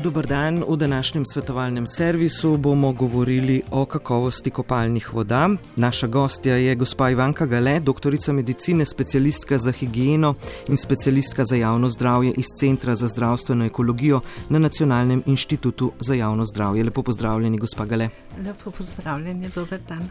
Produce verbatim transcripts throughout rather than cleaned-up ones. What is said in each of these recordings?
Dober dan, v današnjem svetovalnem servisu bomo govorili o kakovosti kopalnih voda. Naša gostja je gospa Ivanka Gale, doktorica medicine, specialistka za higieno in specialistka za javno zdravje iz Centra za zdravstveno ekologijo na Nacionalnem inštitutu za javno zdravje. Lepo pozdravljeni, gospa Gale. Lepo pozdravljeni, dober dan.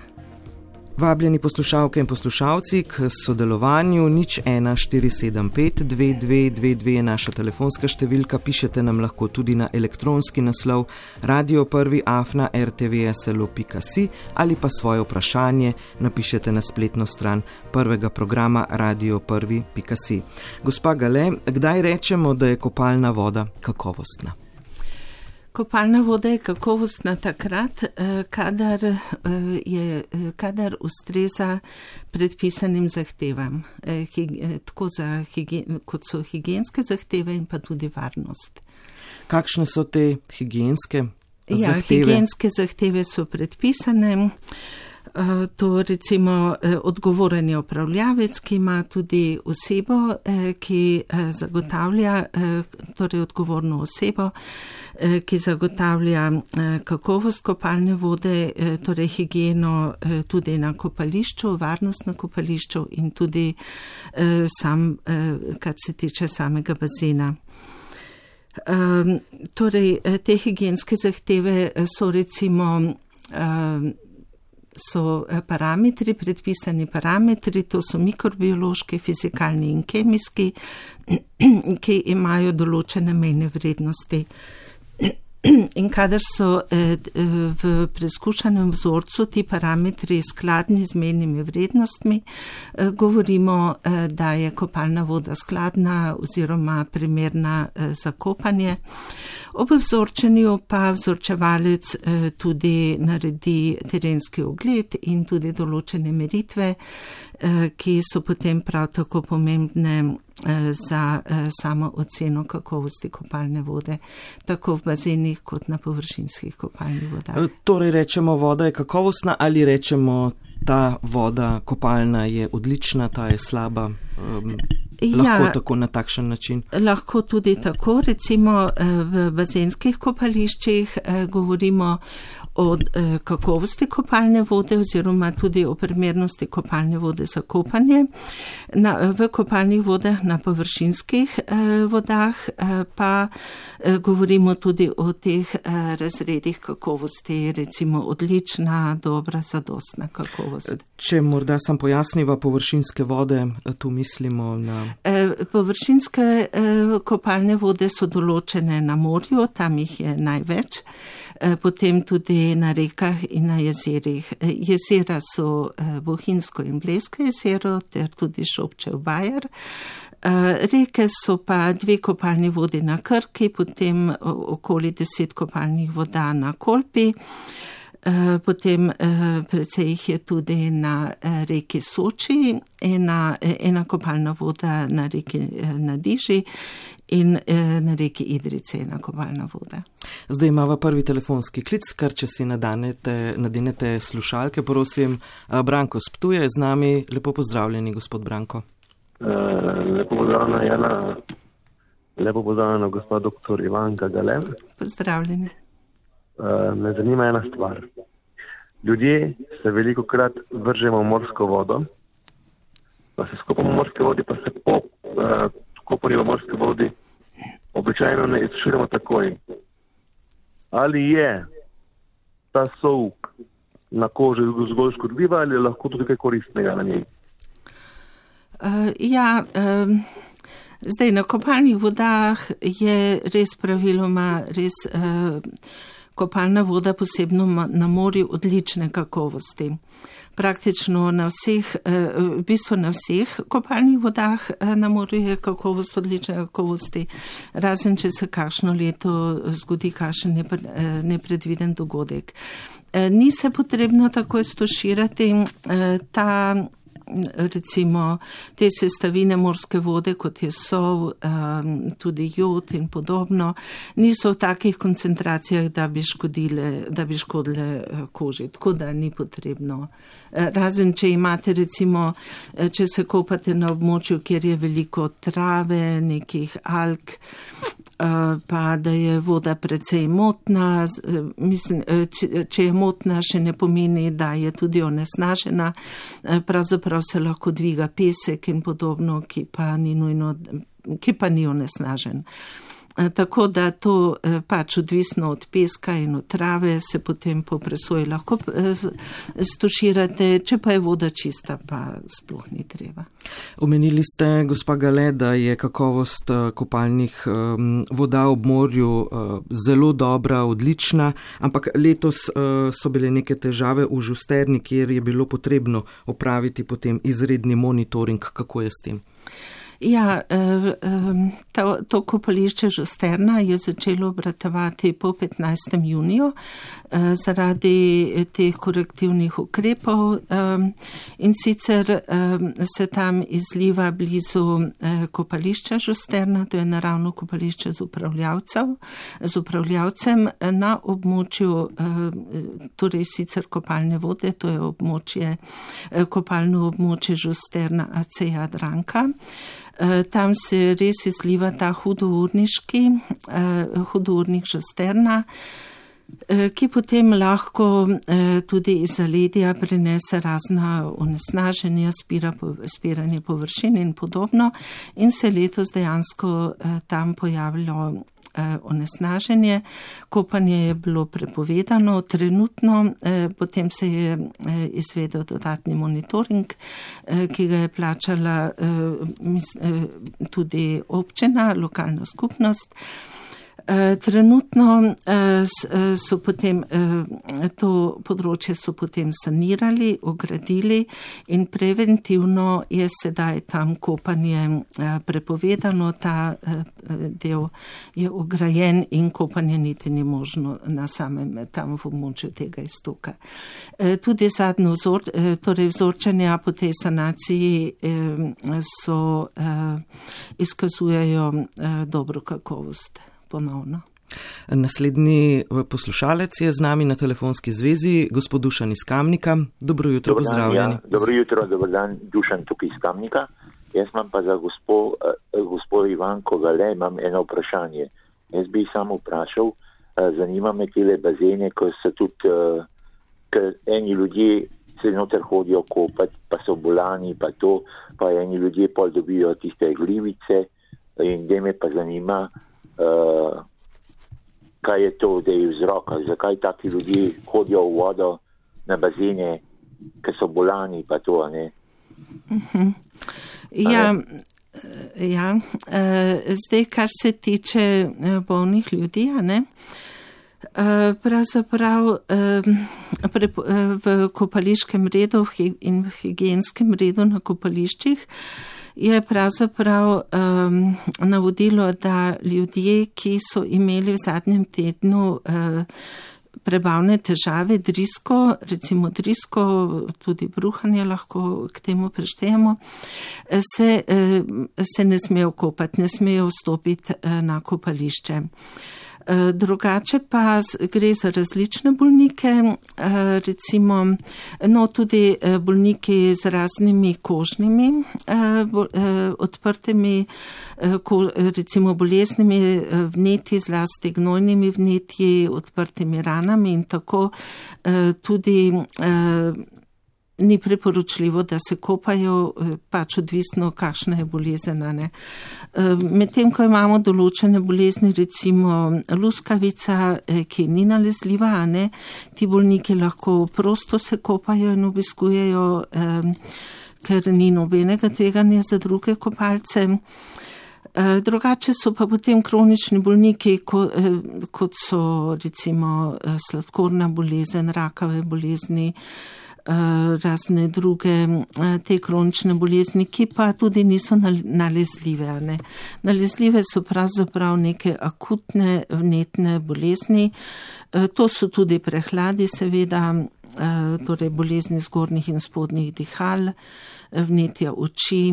Vabljeni poslušalke in poslušalci k sodelovanju. Nič ena štiri sedem pet dve dve dve dve je naša telefonska številka. Pišete nam lahko tudi na elektronski naslov radio prvi afna r t v s l o pika si ali pa svoje vprašanje napišete na spletno stran prvega programa radio prvi pika si. Gospa Gale, kdaj rečemo, da je kopalna voda kakovostna? Kopalna voda je kakovostna takrat, kadar, je, kadar ustreza predpisanim zahtevam, tako za higien, kot so higienske zahteve in pa tudi varnost. Kakšne so te higienske zahteve? Ja, higienske zahteve so predpisane. To recimo odgovoren je upravljavec, ki ima tudi osebo, ki zagotavlja, torej odgovorno osebo, ki zagotavlja kakovost kopalne vode, torej higieno tudi na kopališču, varnost na kopališču in tudi sam, kar se tiče samega bazena. Torej, te higienske zahteve so recimo so parametri, predpisani parametri, to so mikrobiološki, fizikalni in kemijski, ki imajo določene mejne vrednosti. In kadar so v preskušanem vzorcu ti parametri skladni z mejnimi vrednostmi, govorimo, da je kopalna voda skladna oziroma primerna za kopanje. Ob vzorčenju pa vzorčevalec tudi naredi terenski ogled in tudi določene meritve, ki so potem prav tako pomembne za samo oceno kakovosti kopalne vode, tako v bazenih kot na površinskih kopalnih vodah. Torej rečemo, voda je kakovostna ali rečemo, ta voda kopalna je odlična, ta je slaba? Um, lahko ja, tako na takšen način? Lahko tudi tako. Recimo v bazenskih kopališčih govorimo o kakovosti kopalne vode oziroma tudi o primernosti kopalne vode za kopanje. Na, v kopalnih vodah na površinskih vodah pa govorimo tudi o teh razredih kakovosti, recimo odlična, dobra, zadostna kakovost. Če morda sam pojasniva površinske vode, tu mislimo na... Površinske kopalne vode so določene na morju, tam jih je največ, potem tudi na rekah in na jezerih. Jezera so Bohinjsko in Blejsko jezero ter tudi Šobčev Bajer. Reke so pa dve kopalni vodi na Krki, potem okoli deset kopalnih voda na Kolpi. Potem precej jih je tudi na reki Soči, ena, ena kopalna voda na reki Nadiži in na reki Idrice ena kopalna voda. Zdaj imava prvi telefonski klic, kar če si nadanete, nadenete slušalke, prosim. Branko z Ptuja je z nami. Lepo pozdravljeni, gospod Branko. Uh, lepo pozdravljena, Jana. Lepo pozdravljena, gospod doktor Ivanka Gale. Pozdravljeni. Uh, me zanima ena stvar. Ljudje se veliko krat vržemo v morsko vodo, pa se skopamo v morske vodi, pa se po uh, kopanju v morske vodi običajno ne izsušujemo takoj. Ali je ta sol na koži zgolj škodljiva ali je lahko tudi kaj koristnega na njej? Uh, ja, um, zdaj na kopalnih vodah je res praviloma res uh, kopalna voda posebno na morju odlične kakovosti. Praktično na vseh, v bistvu na vseh kopalnih vodah na morju je kakovost odlične kakovosti, razen če se kakšno leto zgodi kakšen nepredviden dogodek. Ni se potrebno takoj stoširati, ta recimo te sestavine morske vode, kot je sol, tudi jod in podobno, niso v takih koncentracijah, da bi škodile, da bi škodile koži, tako da ni potrebno. Razen, če imate recimo, če se kopate na območju, kjer je veliko trave, nekih alg, pa da je voda precej motna. Mislim, če je motna, še ne pomeni, da je tudi onesnažena. Pravzaprav se lahko dviga pesek in podobno, ki pa ni nujno, ki pa ni onesnažen. Tako da to pač odvisno od peska in od trave se potem po presoji lahko stuširate, če pa je voda čista, pa sploh ni treba. Omenili ste, gospa Gale, da je kakovost kopalnih voda ob morju zelo dobra, odlična, ampak letos so bile neke težave v Žusterni, kjer je bilo potrebno opraviti potem izredni monitoring. Kako je s tem? Ja, to, to kopališče Žusterna je začelo obratovati po petnajstem juniju zaradi teh korektivnih ukrepov in sicer se tam izliva blizu kopališča Žusterna, to je naravno kopališče z upravljavcev, z upravljavcem na območju, torej sicer kopalne vode, to je območje, kopalno območje Žusterna A C Jadranka. Tam se res izliva ta hudourniški, hudournik Žusterna, ki potem lahko tudi iz zaledja prenese razna onesnaženja, spira, spiranje površin in podobno. In se letos dejansko tam pojavilo onesnaženje. Kopanje je bilo prepovedano trenutno, potem se je izvedel dodatni monitoring, ki ga je plačala tudi občina, lokalna skupnost. Trenutno so potem to področje so potem sanirali, ogradili in preventivno je sedaj tam kopanje prepovedano, ta del je ograjen in kopanje niti ni možno na samem tam v območju tega iztoka. Tudi zadnjo vzor, torej vzorčenja po tej sanaciji so izkazujejo dobro kakovost. Ponovno. Naslednji poslušalec je z nami na telefonski zvezi, gospod Dušan iz Kamnika. Dobro jutro, Dobar pozdravljeni. Dan, ja. Dobro jutro, dober dan, Dušan tukaj iz Kamnika. Jaz imam pa za gospod gospo Ivanko Gale, imam eno vprašanje. Jaz bi samo vprašal, zanima me tele bazene, ko so tudi, ker eni ljudje se noter hodijo kopati, pa so bolani, pa to, pa eni ljudje pol dobijo tiste glivice in da me pa zanima, Uh, kaj je to, da je vzroka, zakaj taki ljudje hodijo v vodo na bazene, ker so bolani, pa to, a ne? Uh-huh. Ja, ja. Uh, zdaj, kar se tiče bolnih ljudi, a ne? Uh, pravzaprav uh, v kopališkem redu in v higienskem redu na kopališčih je pravzaprav um, navodilo, da ljudje, ki so imeli v zadnjem tednu uh, prebavne težave, drisko, recimo drisko, tudi bruhanje lahko k temu preštejemo, se, uh, se ne smejo kopati, ne smejo vstopiti uh, na kopališče. Drugače pa gre za različne bolnike, recimo no, tudi bolniki z raznimi kožnimi odprtimi, recimo boleznimi vnetji, zlasti gnojnimi vnetji, odprtimi ranami in tako tudi ni priporočljivo, da se kopajo, pač odvisno, kakšna je bolezen. Medtem, ko imamo določene bolezni, recimo luskavica, ki ni nalezljiva, ne, ti bolniki lahko prosto se kopajo in obiskujejo, ker ni nobenega tveganja za druge kopalce. Drugače so pa potem kronični bolniki, kot so recimo sladkorna bolezen, rakave bolezni, razne druge te kronične bolezni, ki pa tudi niso nalezljive. Ne? Nalezljive so pravzaprav neke akutne vnetne bolezni. To so tudi prehladi, seveda, torej bolezni zgornjih in spodnjih dihal, vnetja oči.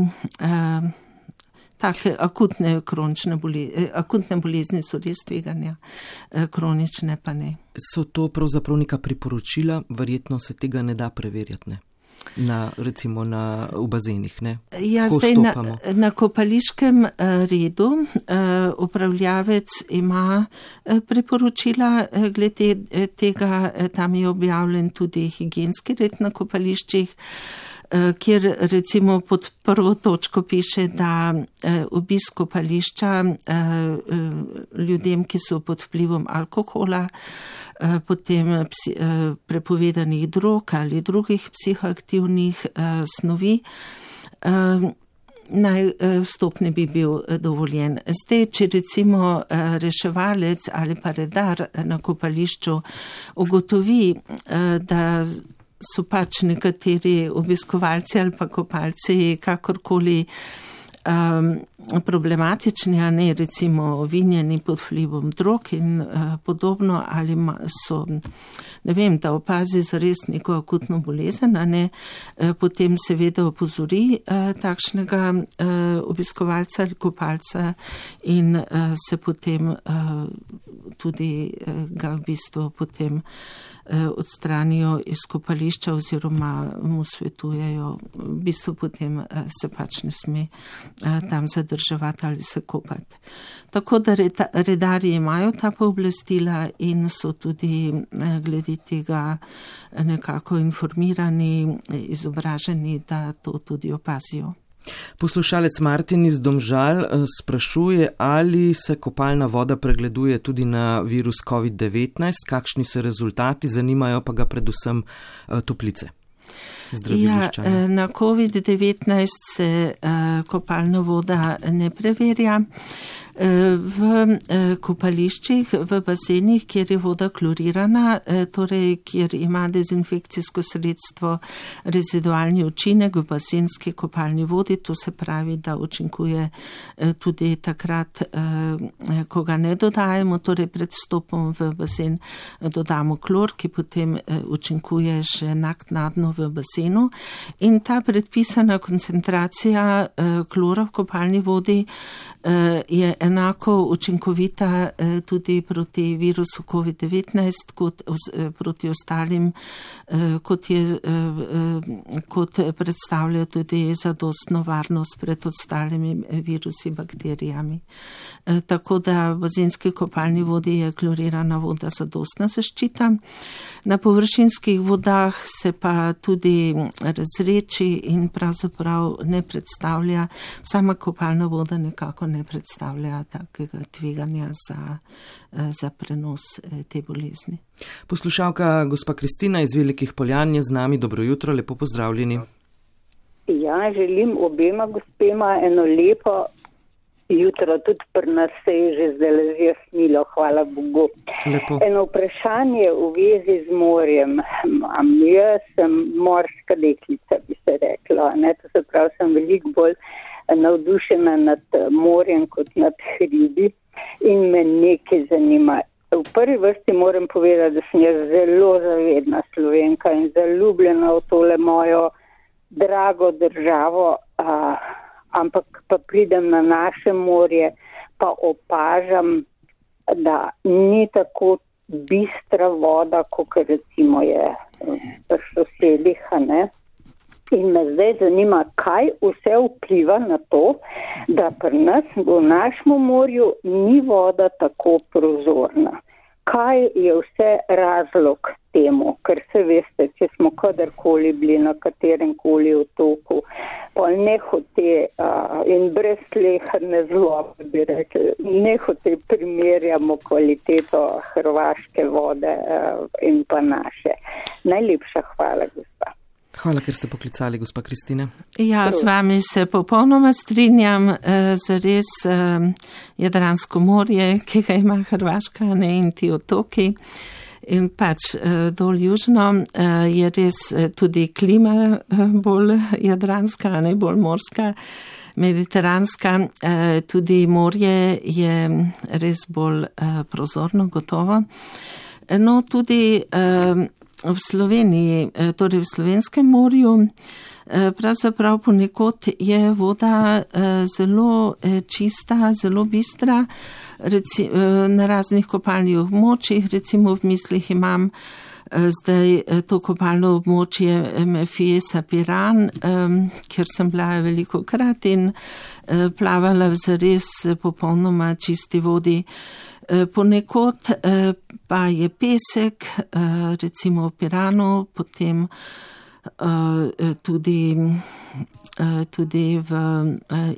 Take akutne, bolezni, akutne bolezni so res tveganja, kronične pa ne. So to pravzaprav neka priporočila, verjetno se tega ne da preverjati, ne? na, recimo na, v bazenih, ne? Ja, zdaj na, na kopališkem redu upravljavec ima priporočila glede tega, tam je objavljen tudi higienski red na kopališčih, kjer recimo pod prvo točko piše, da obisk kopališča ljudem, ki so pod vplivom alkohola, potem prepovedanih drog ali drugih psihoaktivnih snovi, naj vstop ne bi bil dovoljen. Zdaj, če recimo reševalec ali pa redar na kopališču ugotovi, da so pač nekateri obiskovalci ali pa kopalci kakorkoli um, problematični, a ne recimo vinjeni pod vplivom drog in uh, podobno, ali ma, so, ne vem, da opazi zares neko akutno bolezen, a ne, uh, potem seveda opozori uh, takšnega uh, obiskovalca ali kopalca in uh, se potem uh, tudi uh, ga v bistvu potem odstranijo iz kopališča oziroma mu svetujejo, v bistvu potem se pač ne sme tam zadrževati ali se kopati. Tako da redarji imajo ta pooblastila in so tudi glede tega nekako informirani, izobraženi, da to tudi opazijo. Poslušalec Martin iz Domžal sprašuje, ali se kopalna voda pregleduje tudi na virus covid devetnajst, kakšni so rezultati, zanimajo pa ga predvsem Toplice. Ja, na covid devetnajst se kopalna voda ne preverja. V kopališčih, v bazenih, kjer je voda klorirana, torej kjer ima dezinfekcijsko sredstvo rezidualni učinek v bazenski kopalni vodi, to se pravi, da učinkuje tudi takrat, ko ga ne dodajemo, torej pred vstopom v bazen dodamo klor, ki potem učinkuje še naknadno v bazenu. In ta predpisana koncentracija klora v kopalni vodi je enako učinkovita tudi proti virusu covid devetnajst kot proti ostalim, kot, je, kot predstavlja tudi zadostno varnost pred ostalimi virusi, bakterijami. Tako da v bazenski kopalni vodi je klorirana voda zadostna zaščita. Na površinskih vodah se pa tudi razreči in pravzaprav ne predstavlja, sama kopalna voda nekako ne predstavlja takega tveganja za, za prenos te bolezni. Poslušalka gospa Kristina iz Velikih Poljan je z nami. Dobro jutro, lepo pozdravljeni. Ja, želim obema gospema eno lepo jutro, tudi pri nas se je že zdaj zjasnilo, hvala Bogu. Lepo. Eno vprašanje v vezi z morjem. Jaz sem morska deklica, bi se rekla, ne? To se pravi, sem veliko bolj navdušena nad morjem kot nad hribi in me nekaj zanima. V prvi vrsti moram povedati, da sem jaz zelo zavedna Slovenka in zaljubljena v tole mojo drago državo, a, ampak pa pridem na naše morje, pa opažam, da ni tako bistra voda, kot recimo je v sosedih, ne? In me zdaj zanima, kaj vse vpliva na to, da pri nas v našem morju ni voda tako prozorna. Kaj je vse razlog temu? Ker se veste, če smo kadarkoli bili na katerem koli otoku, pa nehote uh, in brez sleherne zlobe, bi rekli, nehote primerjamo kvaliteto hrvaške vode uh, in pa naše. Najlepša hvala, gospa. Hvala, ker ste poklicali, gospa Kristina. Ja, z vami se popolnoma strinjam, za res Jadransko morje, ki ga ima Hrvaška, ne, in ti otoki. In pač dol južno je res tudi klima bolj jadranska, ne bolj morska, mediteranska. Tudi morje je res bolj prozorno, gotovo. No, tudi v Sloveniji, torej v Slovenskem morju, pravzaprav ponekod je voda zelo čista, zelo bistra, reci, na raznih kopalnih območjih, recimo v mislih imam Zdaj to kopalno območje Fiesa Piran, kjer sem bila veliko krat in plavala v zares popolnoma čisti vodi. Ponekod pa je pesek, recimo v Piranu, potem tudi, tudi v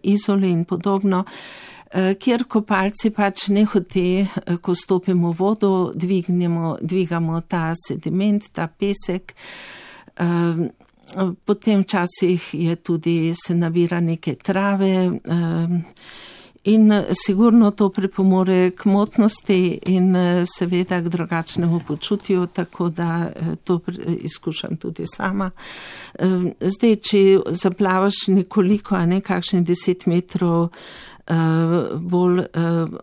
Izoli in podobno, kjer kopalci pač ne hote, ko stopimo v vodo, dvignemo, dvigamo ta sediment, ta pesek. Potem včasih je tudi se nabira neke trave in sigurno to pripomore k motnosti in seveda k drugačnemu počutju, tako da to izkušam tudi sama. Zdaj, če zaplavaš nekoliko, a ne kakšne deset metrov bolj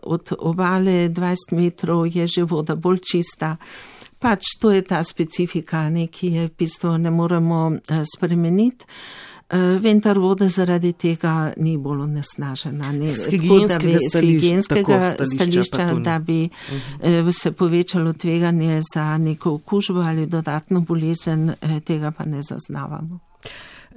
od obale, dvajset metrov je že voda bolj čista. Pač to je ta specifika, ne, ki je v bistvu ne moremo spremeniti. Vendar voda zaradi tega ni bolj onesnažena. Z higienskega stališča, stališča da bi uh-huh. se povečalo tveganje za neko okužbo ali dodatno bolezen, tega pa ne zaznavamo.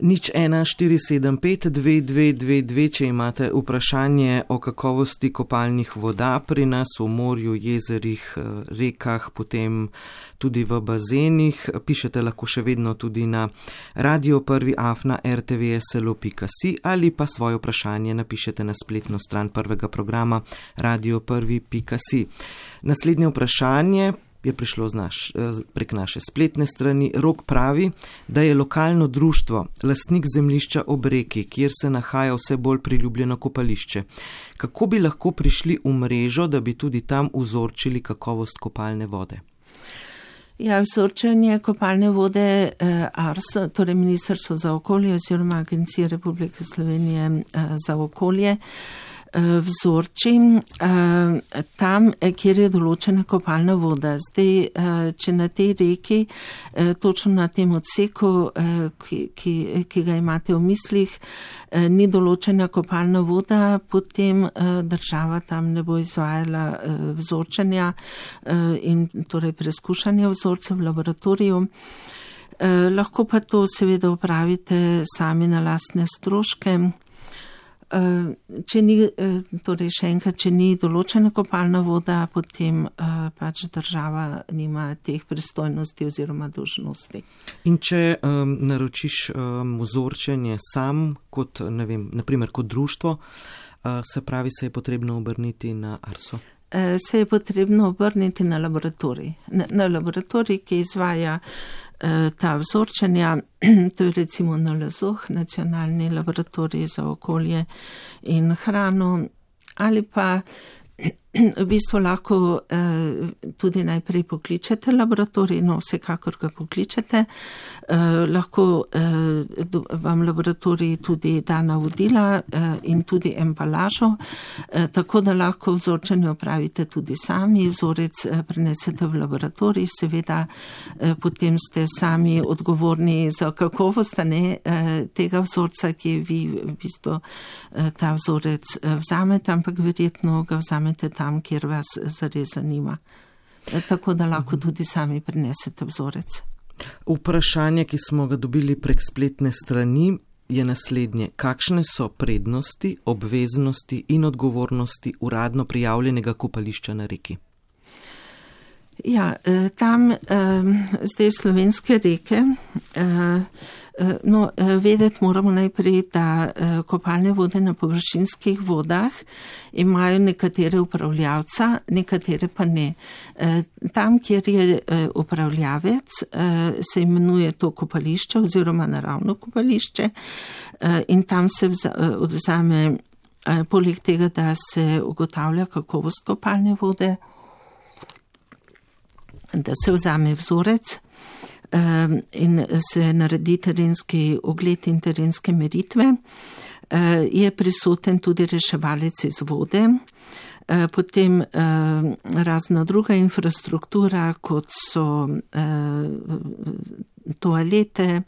Nič ena štiri sedem pet dve dve dve dve, če imate vprašanje o kakovosti kopalnih voda pri nas v morju, jezerih, rekah, potem tudi v bazenih. Pišete lahko še vedno tudi na radio prvi afna r t v s l o pika si ali pa svoje vprašanje napišete na spletno stran prvega programa radio prvi pika si. Naslednje vprašanje je prišlo z naš, prek naše spletne strani. Rok pravi, da je lokalno društvo lastnik zemljišča ob reki, kjer se nahaja vse bolj priljubljeno kopališče. Kako bi lahko prišli v mrežo, da bi tudi tam vzorčili kakovost kopalne vode? Ja, vzorčenje kopalne vode eh, ARSO, torej Ministrstvo za okolje oziroma Agencija Republike Slovenije eh, za okolje, vzorči tam, kjer je določena kopalna voda. Zdaj, če na tej reki, točno na tem odseku, ki, ki, ki ga imate v mislih, ni določena kopalna voda, potem država tam ne bo izvajala vzorčenja in torej preskušanja vzorcev v laboratoriju. Lahko pa to seveda upravite sami na lastne stroške. Če ni, torej še enkrat, če ni določena kopalna voda, potem pač država nima teh pristojnosti oziroma dolžnosti. In če um, naročiš um, vzorčenje sam, kot, ne vem, naprimer kot društvo, uh, se pravi, se je potrebno obrniti na ARSO? Se je potrebno obrniti na laboratorij. Na, na laboratorij, ki izvaja ta vzorčenja, to je recimo N L Z O H, Nacionalni laboratorij za okolje in hrano, ali pa v bistvu lahko eh, tudi najprej pokličete laboratorij, no vsekakor ga pokličete, eh, lahko eh, vam laboratorij tudi da navodila eh, in tudi embalažo, eh, tako da lahko vzorčenje opravite tudi sami, vzorec eh, prenesete v laboratorij, seveda eh, potem ste sami odgovorni za kakovost ne, eh, tega vzorca, ki vi v bistvu eh, ta vzorec eh, vzamete, ampak verjetno ga vzamete tam, kjer vas zares zanima. Tako da lahko tudi sami prinesete vzorec. Vprašanje, ki smo ga dobili prek spletne strani, je naslednje. Kakšne so prednosti, obveznosti in odgovornosti uradno prijavljenega kopališča na reki? Ja, tam zdaj slovenske reke, no, vedeti moramo najprej, da kopalne vode na površinskih vodah imajo nekatere upravljavca, nekatere pa ne. Tam, kjer je upravljavec, se imenuje to kopališče oziroma naravno kopališče in tam se vzame, poleg tega, da se ugotavlja kakovost kopalne vode, da se vzame vzorec in se naredi terenski ogled in terenske meritve. Je prisoten tudi reševalec iz vode, potem razna druga infrastruktura, kot so toalete,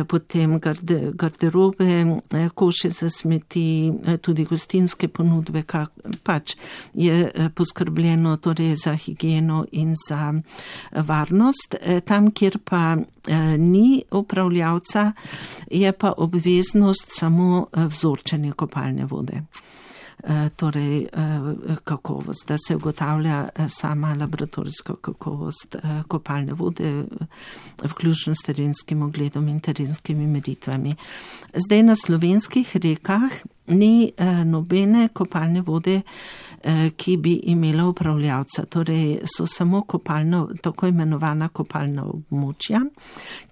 potem garde, garderobe, koše za smeti, tudi gostinske ponudbe, kak, pač je poskrbljeno torej za higieno in za varnost. Tam, kjer pa ni upravljavca, je pa obveznost samo vzorčenje kopalne vode. Torej kakovost, da se ugotavlja sama laboratorijska kakovost kopalne vode, vključno s terenskim ogledom in terenskimi meritvami. Zdaj na slovenskih rekah ni nobene kopalne vode, ki bi imela upravljavca. Torej so samo kopalna, tako imenovana kopalna območja,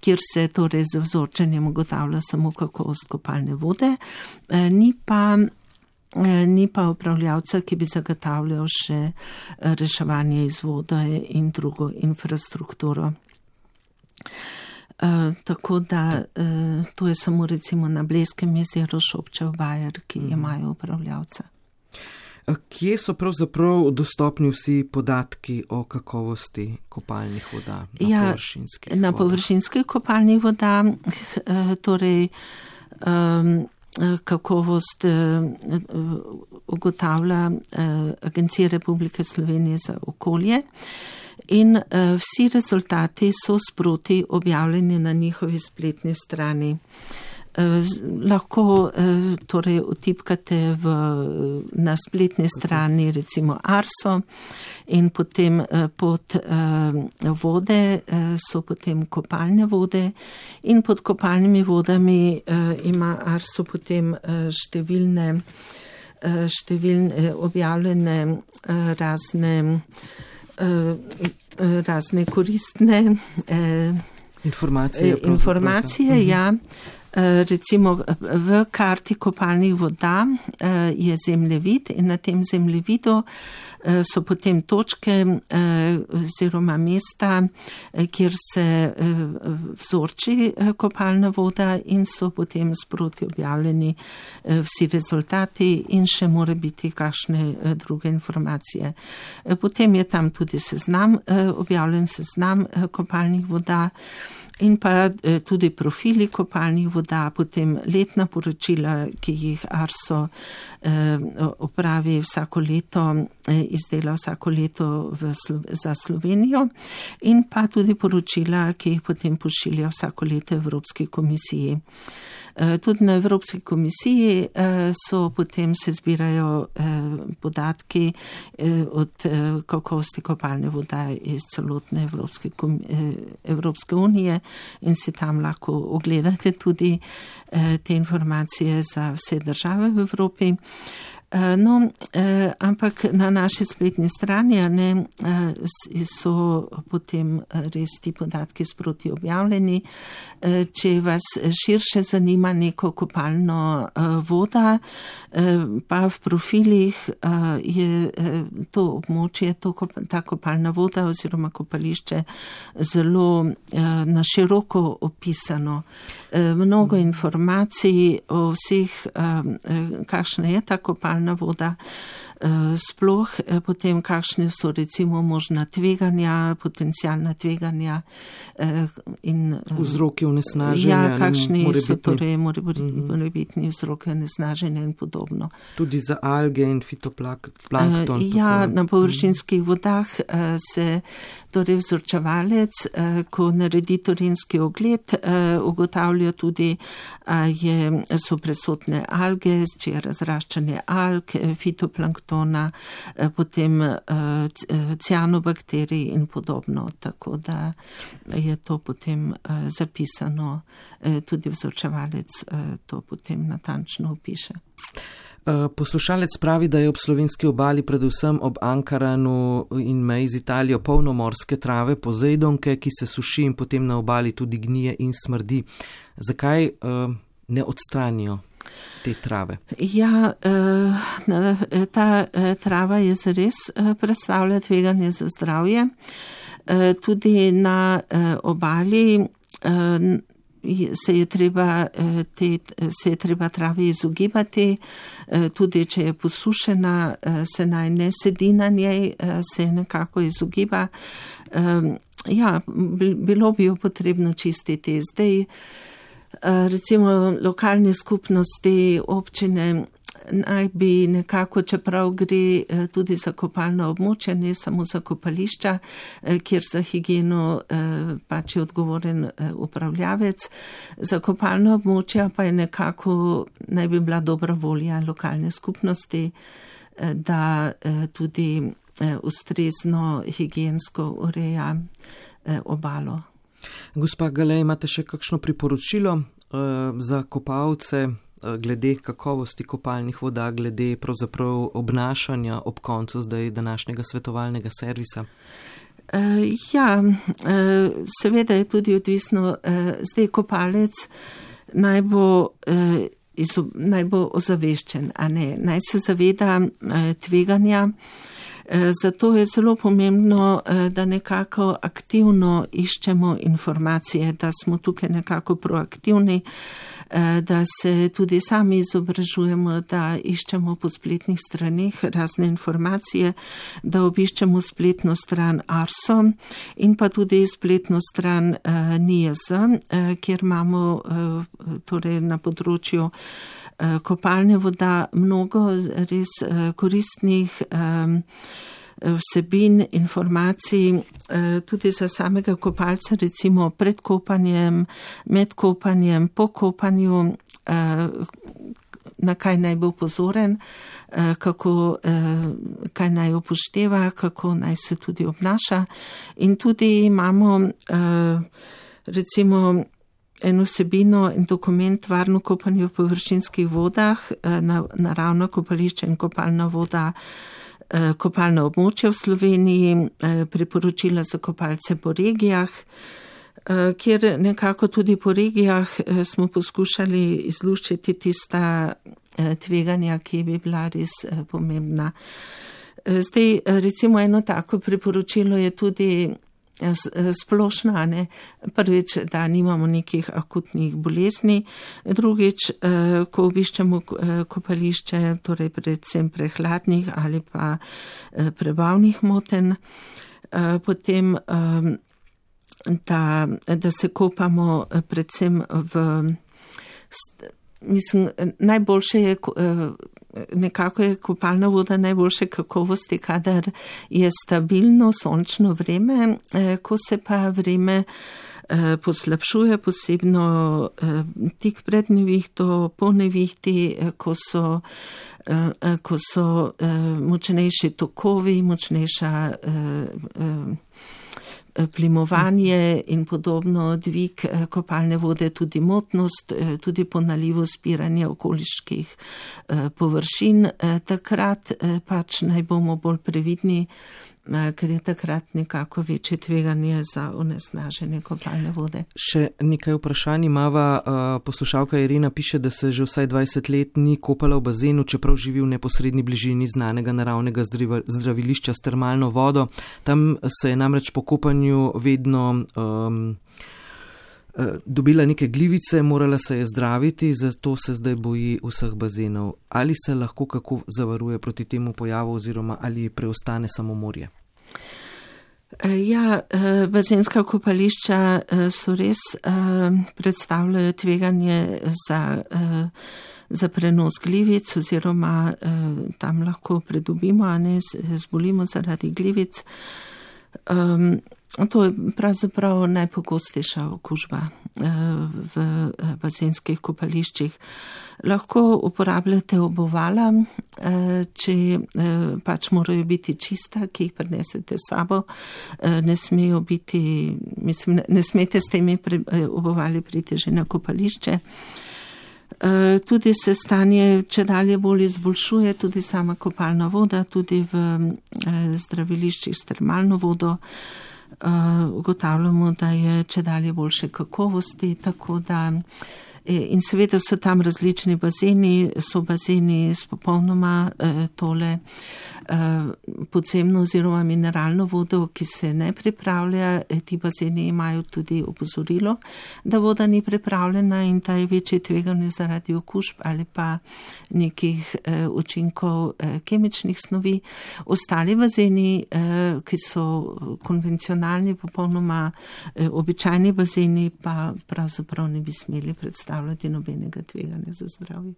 kjer se torej z vzorčenjem ugotavlja samo kakovost kopalne vode, ni pa Ni pa upravljavca, ki bi zagotavljal še reševanje iz vode in drugo infrastrukturo. Uh, tako da uh, to je samo recimo na Blejskem jezeru Šobčev Bajer, ki imajo upravljavca. Kje so pravzaprav dostopni vsi podatki o kakovosti kopalnih voda na ja, površinskih na vodah? Površinskih kopalnih vodah, uh, torej um, kakovost ugotavlja Agencija Republike Slovenije za okolje in vsi rezultati so sproti objavljeni na njihovi spletni strani. Lahko torej utipkate v, na spletni strani recimo Arso in potem pod vode so potem kopalne vode in pod kopalnimi vodami ima Arso potem številne, številne objavljene razne, razne koristne informacije. Informacije, ja. Recimo v karti kopalnih voda je zemljevid in na tem zemljevidu so potem točke oziroma mesta, kjer se vzorči kopalna voda in so potem sproti objavljeni vsi rezultati in še more biti kakšne druge informacije. Potem je tam tudi seznam, objavljen seznam kopalnih voda in pa tudi profili kopalnih voda, potem letna poročila, ki jih Arso opravi vsako leto, izdela vsako leto v, za Slovenijo in pa tudi poročila, ki jih potem pošilja vsako leto Evropski komisiji. Tudi na Evropski komisiji so potem se zbirajo podatki od kakovosti kopalne voda iz celotne Evropske, Evropske unije in si tam lahko ogledate tudi te informacije za vse države v Evropi. No, ampak na naši spletni strani ne, so potem res ti podatki sproti objavljeni. Če vas širše zanima neko kopalno voda, pa v profilih je to območje, to, ta kopalna voda oziroma kopališče zelo na široko opisano. Mnogo informacij o vseh, kakšna je ta kopalna voda, sploh potem kakšne so recimo možna tveganja, potencijalna tveganja in vzroki onesnaženja. Ja, kakšni so torej morebitni vzroki onesnaženja in podobno. Tudi za alge in fitoplankton. Ja, na površinskih vodah se torej vzorčevalec, ko naredi terenski ogled, ugotavlja tudi, je, so prisotne alge, če je razraščanje alg, fitoplanktona, potem cianobakterij in podobno. Tako da je to potem zapisano, tudi vzorčevalec to potem natančno opiše. Poslušalec pravi, da je ob slovenski obali, predvsem ob Ankaranu in meji z Italijo, polno morske trave, pozejdonke, ki se suši in potem na obali tudi gnije in smrdi. Zakaj uh, ne odstranijo te trave? Ja, uh, ta uh, trava je zares uh, predstavlja tveganje za zdravje. Uh, tudi na uh, obali uh, se je treba, te, se je treba travi izogibati, tudi če je posušena, se naj ne sedi na njej, se nekako izogiba. Ja, bilo bi jo potrebno čistiti. Zdaj, recimo lokalne skupnosti, občine naj bi nekako, čeprav gre tudi za kopalno območje, ne samo za kopališča, kjer za higieno pač je odgovoren upravljavec, za kopalno območje pa je nekako, naj bi bila dobra volja lokalne skupnosti, da tudi ustrezno higiensko ureja obalo. Gospa Gale, imate še kakšno priporočilo uh, za kopalce uh, glede kakovosti kopalnih voda, glede pravzaprav obnašanja ob koncu zdaj današnjega svetovalnega servisa? Uh, ja, uh, seveda je tudi odvisno, uh, zdaj kopalec naj bo, uh, izob, naj bo ozaveščen, a ne, naj se zaveda uh, tveganja. Zato je zelo pomembno, da nekako aktivno iščemo informacije, da smo tukaj nekako proaktivni, da se tudi sami izobražujemo, da iščemo po spletnih straneh razne informacije, da obiščemo spletno stran Arso in pa tudi spletno stran N I J Z, kjer imamo torej na področju kopalne voda mnogo res koristnih vsebin, informacij, tudi za samega kopalca, recimo pred kopanjem, med kopanjem, po kopanju, na kaj naj bo pozoren, kako, kaj naj upošteva, kako naj se tudi obnaša. In tudi imamo recimo eno vsebino in dokument Varno kopanje v površinskih vodah, naravno kopališče in kopalna voda, kopalna območja v Sloveniji, priporočila za kopalce po regijah, kjer nekako tudi po regijah smo poskušali izluščiti tista tveganja, ki bi bila res pomembna. Zdaj, recimo eno tako priporočilo je tudi splošna, ne? Prvič, da nimamo nekih akutnih bolezni, drugič, ko obiščemo kopališče, torej predvsem prehladnih ali pa prebavnih motenj, potem, da, da se kopamo predvsem v, mislim, najboljše je, nekako je kopalna voda najboljše kakovosti, kadar je stabilno sončno vreme, ko se pa vreme poslabšuje, posebno tik pred nevihto, po nevihti, ko so, ko so močnejši tokovi, močnejša plimovanje in podobno, dvig kopalne vode, tudi motnost, tudi po nalivu spiranje okoliških površin. Takrat pač naj bomo bolj previdni, ker je takrat nekako večje tveganje za onesnaženje kopalne vode. Še nekaj vprašanj imava. Poslušalka Irena piše, da se že vsaj dvajset let ni kopala v bazenu, čeprav živi v neposredni bližini znanega naravnega zdravilišča s termalno vodo. Tam se je namreč po kopanju vedno um, dobila neke glivice, morala se je zdraviti, zato se zdaj boji vseh bazenov. Ali se lahko kako zavaruje proti temu pojavu oziroma ali preostane samo morje? Ja, bazenska kopališča so res predstavljajo tveganje za, za prenos glivic oziroma tam lahko pridobimo, a ne zbolimo zaradi glivic. To je pravzaprav najpogostejša okužba v bazenskih kopališčih. Lahko uporabljate obuvala, če pač morajo biti čista, ki jih prinesete s sabo. Ne smejo biti, mislim, ne smete s temi obuvali priti že na kopališče. Tudi se stanje čedalje bolj izboljšuje, tudi sama kopalna voda, tudi v zdraviliščih s termalno vodo. Ugotavljamo, da je čedalje boljše kakovosti, tako da In seveda so tam različni bazeni, so bazeni s popolnoma tole podzemno oziroma mineralno vodo, ki se ne pripravlja. Ti bazeni imajo tudi opozorilo, da voda ni pripravljena in da je večje tveganje zaradi okužb ali pa nekih učinkov kemičnih snovi. Ostali bazeni, ki so konvencionalni, popolnoma običajni bazeni, pa pravzaprav ne bi smeli predstavljati nobenega tveganja za zdravje.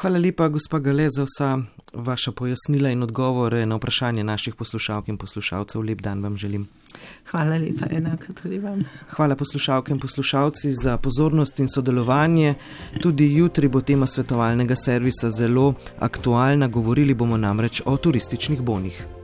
Hvala lepa, gospa Gale, za vsa vaša pojasnila in odgovore na vprašanje naših poslušalk in poslušalcev. Lep dan vam želim. Hvala lepa, enako tudi vam. Hvala poslušalke in poslušalci za pozornost in sodelovanje. Tudi jutri bo tema svetovalnega servisa zelo aktualna, govorili bomo namreč o turističnih bonih.